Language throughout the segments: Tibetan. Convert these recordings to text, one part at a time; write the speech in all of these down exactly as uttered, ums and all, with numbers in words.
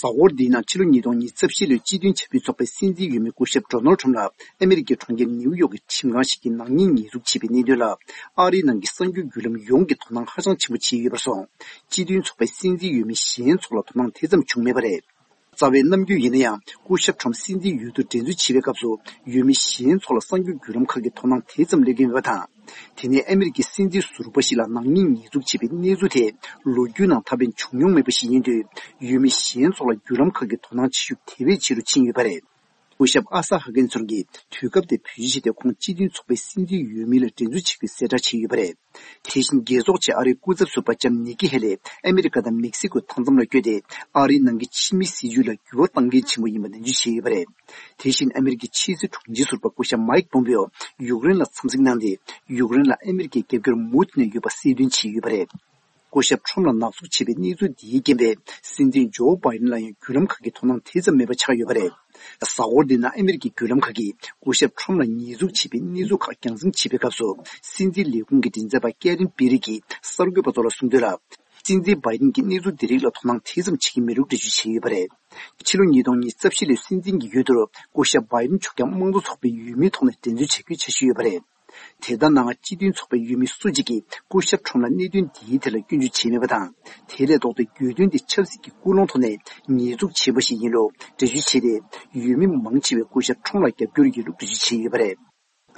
གཟའ་འཁོར་འདིའི་ནང་ཕྱི་ལོ་ཉིས་སྟོང་ཉི་ཤུ་རྩ་བཞི་ལོའི་སྤྱི་མཐུན་ཆབ་སྲིད་ཚོགས་པའི་སྲིད་འཛིན་འོས་མི་སྐུ་ཞབས་ཌོ་ནལ་ཁྲོམ་ལ་ཨ་མེ་རི་ཀའི་གྲོང་ཁྱེར་ནེའུ་ཡོག་གི་ཁྲིམས་ཁང་ཞིག་གིས་ནག་ཉེས་ཉེས་འཛུགས་བྱས་པའི་གནད་དོན་ལ། ཨ་རིའི་ནང་གི་གསར་འགྱུར་བརྒྱུད་ལམ་ཡོངས་ཀྱིས་དོ་སྣང་ཧ་ཅང་ཆེན་པོ་བྱས་ཡོད་པར་སོང་། སྤྱི་མཐུན་ཚོགས་པའི་སྲིད་འཛིན་འོས་མི་གཞན་ཚོ་ལ་དོ་སྣང་དེ་ཙམ་བྱུང་མེད་པ་རེད། རྩ་བའི་ནམ་རྒྱུན་ཡིན་ན་ཡང་སྐུ་ཞབས་ཁྲོམ་སྲིད་འཛིན་འོས་བསྡུ་འགྲན་རྩོད་བྱེད་པའི་སྐབས་སུ་འོས་མི་གཞན་ཚོ་ལ་གསར་འགྱུར་བརྒྱུད་ལམ་ཁག་གིས་དོ་སྣང་དེ་ཙམ་སླེབས་ཀྱི་མེད་པ་དང་། དེ་ནས་ཨ་མེ་རི་ཀའི་སྲིད་འཛིན་ཟུར་པ་ཞིག་ལ་ནག་ཉེས་ཉེས་འཛུགས་བྱས་པའི་གནས་ཚུལ་དེ་ལོ་རྒྱུས་ནང་ད་ཕན་བྱུང་མྱོང་མེད་པ་ཞིག་ཡིན་དུས། འོས་མི་གཞན་ཚོ་ལ་བརྒྱུད་ལམ་ཁག་གིས་དོ་སྣང་བྱེད་ཤུགས་དེ་བས་ཆེ་རུ་ཕྱིན་ཡོད་པ་རེད། སྐུ་ཞབས་ཨ་ས་ཧ་ཀན་ཚོར་གྱིས་དུས་སྐབས་དེ་བེད་སྤྱོད་བྱས་ཏེ་ཁོང་སྤྱི་མཐུན་ཚོགས་པའི་སྲིད་འཛིན་འོས་མི་ལ་འགྲན་རྩོད་བྱེད་རྒྱུའི་གསལ་བསྒྲགས་བྱས་ཡོད་པ་རེད། དེ་བཞིན་རྒྱལ་ཚོགས་ཆེད་ཨ་རིའི་སྐུ་ཚབ་ཟུར་པ་ལྕམ་ནིག་ཀི་ཧེ་ལི་ཨ་མེ་རི་ཀ་དང་མེག་སི་ཀོའི་མཐའ་མཚམས་ལ་བསྐྱོད་དེ། ཨ་རིའི་ནང་གི་ཕྱི་མིའི་སྲིད་བྱུས་ལ་འགྱུར་བ་གཏང་མཁན་ཆེན་པོ་ཡིན་པ་ནན་བརྗོད་བྱས་ཡོད་པ་རེད། དེ་བཞིན་ཨ་མེ་རི་ཀའི་ཕྱི་སྲིད་དྲུང་ཆེ་ཟུར་པ་སྐུ་ཞབས་མའིག་པོམ་པེའོ་ཡུཀ་རེན་ལ་འཚམས་གཟིགས་གནང་སྟེ། ཡུཀ་རེན་ལ་ཨ་མེ་རི་ཀའི་རྒྱབ་སྐྱོར་མུ་མཐུད་ནས་ཡོད་པ་གསལ་སྟོན་བྱས་ཡོད་པ་རེད། སྐུ་ཞབས་ཁྲོམ་ལ་ནག་འཛུགས་བྱས་པའི་གནས་ཚུལ་འདིའི་རྐྱེན་པས། སྲིད་འཛིན་ཇོ་བྷའི་ཌེན་ལ་ཡང་བརྒྱུད་ལམ་ཁག་གིས་དོ་སྣང་དེ་ཙམ་མེད་པ་ཆགས་ཡོད་པ་རེད། གཟའ་འཁོར་འདིའི་ནང་ཨ་མེ་རི་ཀའི་བརྒྱུད་ལམ་ཁག་གིས་སྐུ་ཞབས་ཁྲོམ་ལ་ཉེས་འཛུགས་བྱས་པའི་གནས་ཚུལ་ཁག་རྒྱང་སྲིང་བྱེད་པའི་སྐབས་སུ། སྲིད་འཛིན་ལས་ཁུངས་ཀྱི་མགྲིན་ཚབ་པ་ཀེ་རིན་པི་རི་གིས་གསར་འགོད་པ་ཚོ་ལ་གསུངས་དོན་ལ། སྲིད་འཛིན་བྷའི་ཌེན་གྱིས་གནས་ཚུལ་འདི་རིགས་ལ་དོ་སྣང་དེ་ཙམ་བྱེད་ཀྱི་མེད་ལུགས་འགྲེལ་བརྗོད་བྱས་ཡོད་པ་རེད། ཕྱི་ལོ་ཉིས་སྟོང་ཉི་ཤུ་རྩ་བཞི་ལོའི་སྲིད་འཛིན་གྱི་འོས་བསྡུར་སྐུ་ཞབས་བྷའི་ཌེན་མཆོག་ཀྱང་དམངས་གཙོ་ཚོགས་པའི་འོས་མིའི་ཐོག་ནས་འགྲན་རྩོད་བྱ་རྒྱུའི་འཆར་གཞི་ཡོད་པ་རེད། དེ་ལྟར་ནའང་སྤྱི་མཐུན་ཚོགས་པའི་འོས་མི་སུ་གཅིག་གིས་སྐུ་ཞབས་ཁྲོམ་ལ་གནད་དོན་འདིའི་ཐད་ལ་སྐྱོན་བརྗོད་བྱས་མེད་པ་དང་། དེ་ལས་ལྡོག་སྟེ་གྱོད་དོན་འདི་ཆབ་སྲིད་ཀྱི་ཀུན་སློང་ཐོག་ནས་ཉེས་འཛུགས་བྱས་པ་ཞིག་ཡིན་ལུགས་འགྲེལ་བརྗོད་བྱས་ཏེ། འོས་མི་མང་ཆེ་བས་སྐུ་ཞབས་ཁྲོམ་ལ་རྒྱབ་སྐྱོར་ཡོད་ལུགས་འགྲེལ་བརྗོད་བྱས་ཡོད་པ་རེད།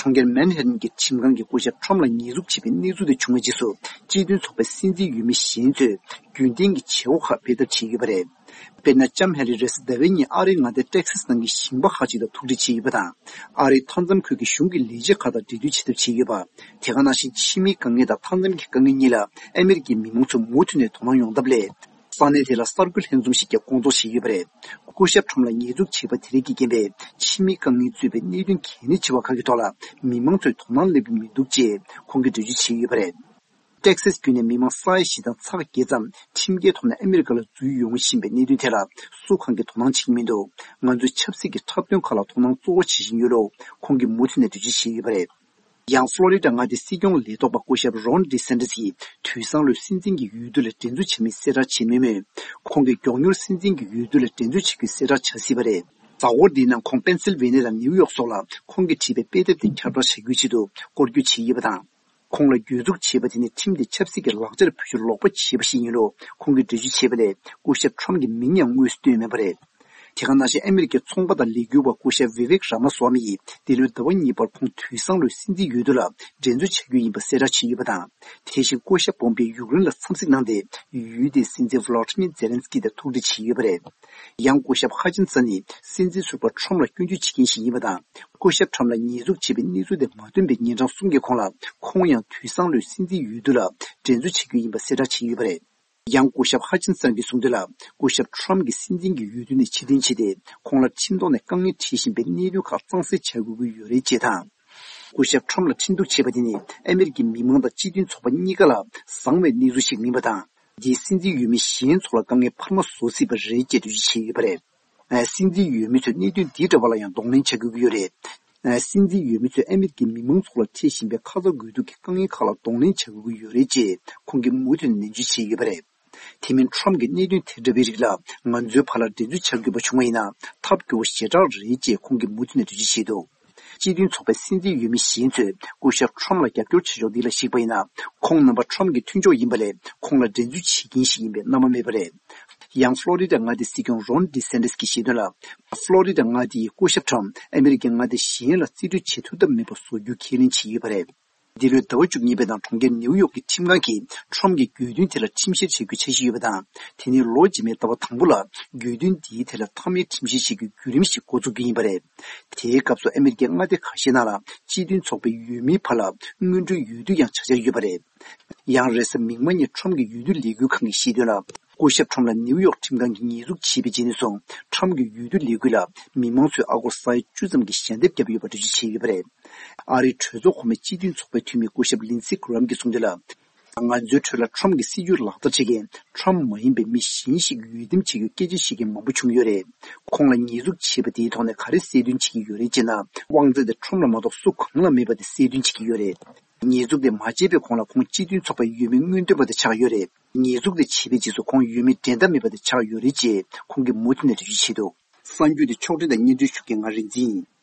གྲོང་ཁྱེར་མན་ཧེ་ཏན་གྱི་ཁྲིམས་ཁང་གིས་སྐུ་ཞབས་ཁྲོམ་ལ་ཉེས་འཛུགས་བྱས་པའི་གནས་ཚུལ་དེ་བྱུང་བའི་རྗེས་སུ། སྤྱི་མཐུན་ཚོགས་པའི་སྲིད་འཛིན་འོས་མི་གཞན་ཚོས་རྒྱུན་ལྡན་གྱི་བྱེད་སྒོ་ཁག་སྤེལ་ཐབས་བྱས་ཡོད་པ་རེད། དཔེར་ན། ལྕམ་ཧེ་ལི་རེས་ཟླ་བའི་ཉིན་ཨ་རིའི་མངའ་སྡེ་ཏེག་སཱས་ནང་གི་ཞིང་པ་ཁག་ཅིག་དང་ཐུག་འཕྲད་བྱས་ཡོད་པ་དང་། ཨ་རིའི་མཐའ་མཚམས་ཁུལ་གྱི་གཞུང་གི་ལས་བྱེད་ཁག་དང་འབྲེལ་མཐུད་བྱེད་ཐབས་བྱས་ཡོད་པ། དེ་ག་ནང་བཞིན་ཕྱི་མིའི་དཀའ་ངལ་དང་མཐའ་མཚམས་ཀྱི་དཀའ་ངལ་གཉིས་ལ་ཨ་མེ་རི་ཀའི་མི་མང་ཚོས་མུ་མཐུད་ནས་དོ་སྣང་ཡོང་ཐབས་སླད། ས་གནས་དེ་ལ་གསར་འགོད་ལྷན་འཛོམས་ཤིག་ཀྱང་སྐོང་ཚོགས་བྱས་ཡོད་པ་རེད། སྐུ་ཞབས་ཁྲོམ་ལ་ཉེས་འཛུགས་བྱས་པ་དེ་རིགས་ཀྱི་རྐྱེན་པས་ཕྱི་མིའི་དཀའ་ངལ་གཙོས་པའི་གནད་དོན་གལ་གནད་ཆེ་བ་ཁག་གི་ཐོག་ལ་མི་མང་ཚོས་དོ་སྣང་སླེབས་ཀྱི་མི་འདུག་ཅེས་ཁོང་གིས་འགྲེལ་བརྗོད་བྱས་ཡོད་པ་རེད། ཏེག་སཱས་བརྒྱུད་ནས་མི་མང་ས་ཡ་བཞི་དང་ཚེག་བརྒྱད་ཙམ་ཁྲིམས་འགལ་ཐོག་ནས་ཨ་མེ་རི་ཀ་ལ་འཛུལ་ཡོང་བཞིན་པའི་གནད་དོན་དེ་ལ་སུ་གང་གིས་དོ་སྣང་བྱེད་ཀྱི་མི་འདུག་ང་ཚོས་ཆབ་སྲིད་ཀྱི་འཁྲབ་སྟོན་ཁག་ལ་དོ་སྣང་གཙོ་བོ་བྱེད་བཞིན་ཡོད་ལུགས་ཁོང་གིས་མུ་མཐུད་ནས་འགྲེལ་བརྗོད་བྱས་ཡོད་པ་རེད། ཡང་ཕློ་རི་ཌ་མངའ་སྡེའི་སྲིད་སྐྱོང་ལས་ཐོག་པ་སྐུ་ཞབས་རོན་ཌི་སན་ཏི་སི་ཡིས་དུས་སང་ལོའི་སྲིད་འཛིན་གྱི་འོས་བསྡུ་ལ་འགྲན་རྩོད་བྱེད་མིན་གསལ་བསྒྲགས་བྱས་མེད་མོད། ཁོང་གིས་མགྱོགས་མྱུར་སྲིད་འཛིན་གྱི་འོས་བསྡུ་ལ་འགྲན་རྩོད་བྱེད་རྒྱུའི་གསལ་བསྒྲགས་བྱ་སྲིད་པ་རེད། གཟའ་འཁོར་འདིའི་ནང་ཁོང་པེན་སིལ་ཝེ་ནི་ཡ་དང་ནེའུ་ཡོག་སོགས་ལ་ཁོང་གིས་བྲིས་པའི་དཔེ་དེབ་དེ་ཁྱབ་བསྒྲགས་བྱ་རྒྱུའི་ཆེད་དུ་སྐོར་སྐྱོད་བྱས་ཡོད་པ་དང་། ཁོང་ལ་གྱོད་འཛུགས་བྱས་པ་དེ་ནི་ཁྲིམས་དེ་ཆབ་སྲིད་ཀྱི་ལག་ཆར་བེད་སྤྱོད་ལོག་པ་བྱས་པ་ཞིག་ཡིན་ལུགས་ཁོང་གིས་འགྲེལ་བརྗོད་བྱས་པ་ལས། སྐུ་ཞབས་ཁྲོམ་གྱི་མིང་ཡང་དངོས་སུ་བཏོན་མེད་པ་རེད། དེ་ག་ནང་བཞིན་ཨ་མེ་རི་ཀའི་ཚོང་པ་དང་ལས་འགུལ་བ་སྐུ་ཞབས་ཝི་ཝེག་ར་མ་སོ་མི་ཡིས་འདི་ལོའི་ཟླ་བ་གཉིས་པར་ཁོང་དུས་སང་ལོའི་སྲིད་འཛིན་འོས་བསྡུ་ལ་འགྲན་རྩོད་བྱ་རྒྱུ་ཡིན་པ་གསལ་བསྒྲགས་བྱས་ཡོད་པ་དང་། དེ་བཞིན་སྐུ་ཞབས་པོམ་པེ་ཡུཀ་རེན་ལ་འཚམས་གཟིགས་གནང་སྟེ། ཡུལ་དེའི་སྲིད་འཛིན་ཝི་ལོ་ཏི་མིར་ཛེ་ལན་སི་ཀི་དང་ཐུག་འཕྲད་བྱས་ཡོད་པ་རེད། ཡང་སྐུ་ཞབས་ཧ་ཅིན་སན་ནི་སྲིད་འཛིན་ཟུར་པ་ཁྲོམ་ལ་སྐྱོན་བརྗོད་བྱེད་མཁན་ཞིག་ཡིན་པ་དང་། སྐུ་ཞབས་ཁྲོམ་ལ་ཉེས་འཛུགས་བྱས་པའི་གནས་ཚུལ་དེ་མ་ཐོན་པའི་ཉིན་གྲངས་གསུམ་གྱི་གོང་ལ་ཁོང་ཡང་དུས་སང་ལོའི་སྲིད་འཛིན་འོས་བསྡུ་ལ་འགྲན་རྩོད་བྱ་རྒྱུ་ཡིན་པ་གསལ་བསྒྲགས་བྱས་ཡོད་པ་རེད། ཡང་སྐུ་ཞབས་ཧ་ཅིན་སན་གྱིས་གསུངས་དོན་ལ། སྐུ་ཞབས་ཁྲོམ་གྱིས་སྲིད་འཛིན་གྱི་འོས་བསྡུ་ནས་ཕྱིར་འཐེན་བྱས་ཏེ། ཁོང་ལ་ཁྲིམས་ཐོག་ནས་དཀའ་ངལ་འཕྲད་བཞིན་པའི་གནད་དོན་ཁག་གཙང་སེལ་བྱ་དགོས་ཀྱི་ཡོད་རེད་ཅེས་དང་། སྐུ་ཞབས་ཁྲོམ་ལ་ཁྲིམས་གཏུག་བྱས་པ་དེ་ནི་ཨ་མེ་རི་ཀའི་མི་མང་དང་སྤྱི་མཐུན་ཚོགས་པ་གཉིས་ཀ་ལ་བཟང་བའི་གནས་ཚུལ་ཞིག་མིན་པ་དང་། འདིས་སྲིད་འཛིན་འོས་མི་གཞན་ཚོ་ལ་དཀའ་ངལ་འཕར་མ་བཟོ་སྲིད་པ་རེད་ཅེས་འགྲེལ་བརྗོད་བྱས་ཡོད་པ་རེད། སྲིད་འཛིན་འོས་མི་ཚོས་གནད་དོན་འདི་འདྲ་བ་ལ་ཡང་གདོང་ལེན་བྱ་དགོས་ཀྱི་ཡོད་རེད། སྲིད་འཛིན་འོས་མི་ཚོས་ཨ་མེ་རི་ཀའི་མི་མང་ཚོ་ལ་འཕྲད་བཞིན་པའི་ཁ་ཚ་དགོས་གཏུག་གི་དཀའ་ངལ་ཁག་ལ་གདོང་ལེན་བྱ་དགོས་ཀྱི་ཡོད་རེད་ཅེས་ཁོང་གིས་མུ་མཐུད་ནས་ནན་བརྗོད་བྱས་ཡོད་པ་རེད། དེ་མིན་ཁྲོམ་གྱི་གནད་དོན་དེ་འདྲ་བའི་རིགས་ལ་ང་ཚོའི་བར་ལ་འགྲན་རྩོད་བྱ་དགོས་པ་བྱུང་བ་ཡིན་ན་ཐབས་སྐྱོ་བོ་ཞེ་དྲག་རེད་ཅེས་ཁོང་གིས་མུ་མཐུད་ནས་འགྲེལ་བརྗོད་བྱས་འདུག་སྤྱི་མཐུན་ཚོགས་པའི་སྲིད་འཛིན་འོས་མི་གཞན་ཚོས་སྐུ་ཞབས་ཁྲོམ་ལ་རྒྱབ་སྐྱོར་བྱེད་ཕྱོགས་འདི་ལ་གཞིགས་པ་ཡིན་ན། ཁོང་རྣམ་པ་ཁྲོམ་གྱི་མཐུན་ཕྱོགས་ཡིན་པ་ལས་ཁོང་ལ་འགྲན་རྩོད་བྱེད་མཁན་ཞིག་ཡིན་པའི་རྣམ་པ་མེད་པ་རེད། ཡང་ཕློ་རི་ཌ་མངའ་སྡེའི་སྲིད་སྐྱོང་རོན་ཌི་སན་ཏིས་ཀྱིས་བཤད་དོན་ལ། ཕློ་རི་ཌ་མངའ་སྡེ་ཡིས་སྐུ་ཞབས་ཁྲོམ་ཨ་མེ་རི་ཀའི་མངའ་སྡེ་གཞན་ལ་རྩིས་སྤྲོད་བྱེད་ཐུབ་ཐབས་མེད་པ་བཟོ་རྒྱུ་ཁས་ལེན་བྱས་ཡོད་པ་རེད། འདི་ལོའི་ཟླ་བ་བཅུ་གཉིས་པའི་ནང་གྲོང་ཁྱེར་ནེའུ་ཡོག་གི་ཁྲིམས་ཁང་གིས་ཁྲོམ་གྱི་གྱོད་དོན་དེ་ལ་ཁྲིམས་བཤེར་བྱེད་རྒྱུའི་འཆར་གཞི་ཡོད་པ་དང་། དེ་ནི་ལོ་རྗེས་མའི་ཟླ་བ་དང་པོ་ལ་གྱོད་དོན་འདིའི་ཐད་ལ་མཐའ་མའི་ཁྲིམས་བཤེར་བྱེད་རྒྱུའི་བརྒྱུད་རིམ་ཞིག་འགོ་འཛུགས་རྒྱུ་ཡིན་པ་རེད། དེའི་སྐབས་སུ་ཨ་མེ་རི་ཀའི་མངའ་སྡེ་ཁ་ཤས་ནང་ལ་སྤྱི་མཐུན་ཚོགས་པའི་འོས་མིའི་བར་ལ་སྔོན་འགྲོའི་འོས་བསྡུ་ཡང་བྱ་འཆར་ཡོད་པ་རེད། ཡང་རེས་གཟའ་མིག་དམར་ཉིན་ཁྲོམ་གྱི་འོས་བསྡུ་ལས་འགུལ་ཁང་གིས་བཤད་དོན་ལ། སྐུ་ཞབས་ཁྲོམ་ལ་ནེའུ་ཡོག་ཁྲིམས་ཁང་གིས་ཉེས་འཛུགས་བྱས་པའི་རྗེས་ནས་བཟུང་ཁྲོམ་གྱི་འོས་བསྡུ་ལས་འགུལ་ལ་མི་མང་ཚོས་ཨ་སྒོར་ས་ཡ་བཅུ་ཙམ་གྱི་ཞལ་འདེབས་བརྒྱབ་ཡོད་པ་འགྲེལ་བརྗོད་བྱས་ཡོད་པ་རེད། ཨ་རིའི་གྲོས་ཚོགས་གོང་མའི་སྤྱི་མཐུན་ཚོགས་པའི་འཐུས་མི་སྐུ་ཞབས་ལིན་སི་གྷི་རམ་གྱིས་གསུངས་དོན་ལ། ང་ཚོའི་ཁྲོད་ལ་ཁྲོམ་གྱི་སྲིད་ཇུས་ལག་བསྟར་བྱེད་མཁན་ཁྲོམ་མ་ཡིན་པའི་མི་གཞན་ཞིག་འོས་འདེམས་བྱེད་རྒྱུའི་སྐད་ཆ་བཤད་མཁན་མང་པོ་བྱུང་ཡོད་རེད། ཁོང་ལ་ཉེས་འཛུགས་བྱས་པ་དེའི་ཐོག་ནས་ག་རེ་གསལ་སྟོན་བྱེད་ཀྱི་ཡོད་རེད་ཅེ་ན། དབང་ཚད་དེ་ཁྲོམ་ལ་མ་གཏོགས་སུ་གང་ལ་མེད་པ་དེ་གསལ་སྟོན་བྱེད་ཀྱི་ཡོད་རེད། ཉེས་འཛུགས་དེ་མ་བྱས་པའི་གོང་ལ་ཁོང་སྤྱི་མཐུན་ཚོགས་པའི་འོས་མི་སྔོན་ཐོན་པ་དེ་ཆགས་ཡོད་རེད། ཉེས་འཛུགས་དེ་བྱས་པའི་རྗེས་སུ་ཁོང་འོས་མིའི་འགྲན་ཟླ་མེད་པ་དེ་ཆགས་ཡོད་རེད་ཅེས་ཁོང་གིས་མུ་མཐུད་ནས་འགྲེལ་བརྗོད་བྱས་འདུག་གསར་འགྱུར་དེ་ཕྱོགས་སྒྲིག་དང་སྙན་སྒྲོན་ཞུ་མཁན་ང་རིག་འཛིན་ཡིན།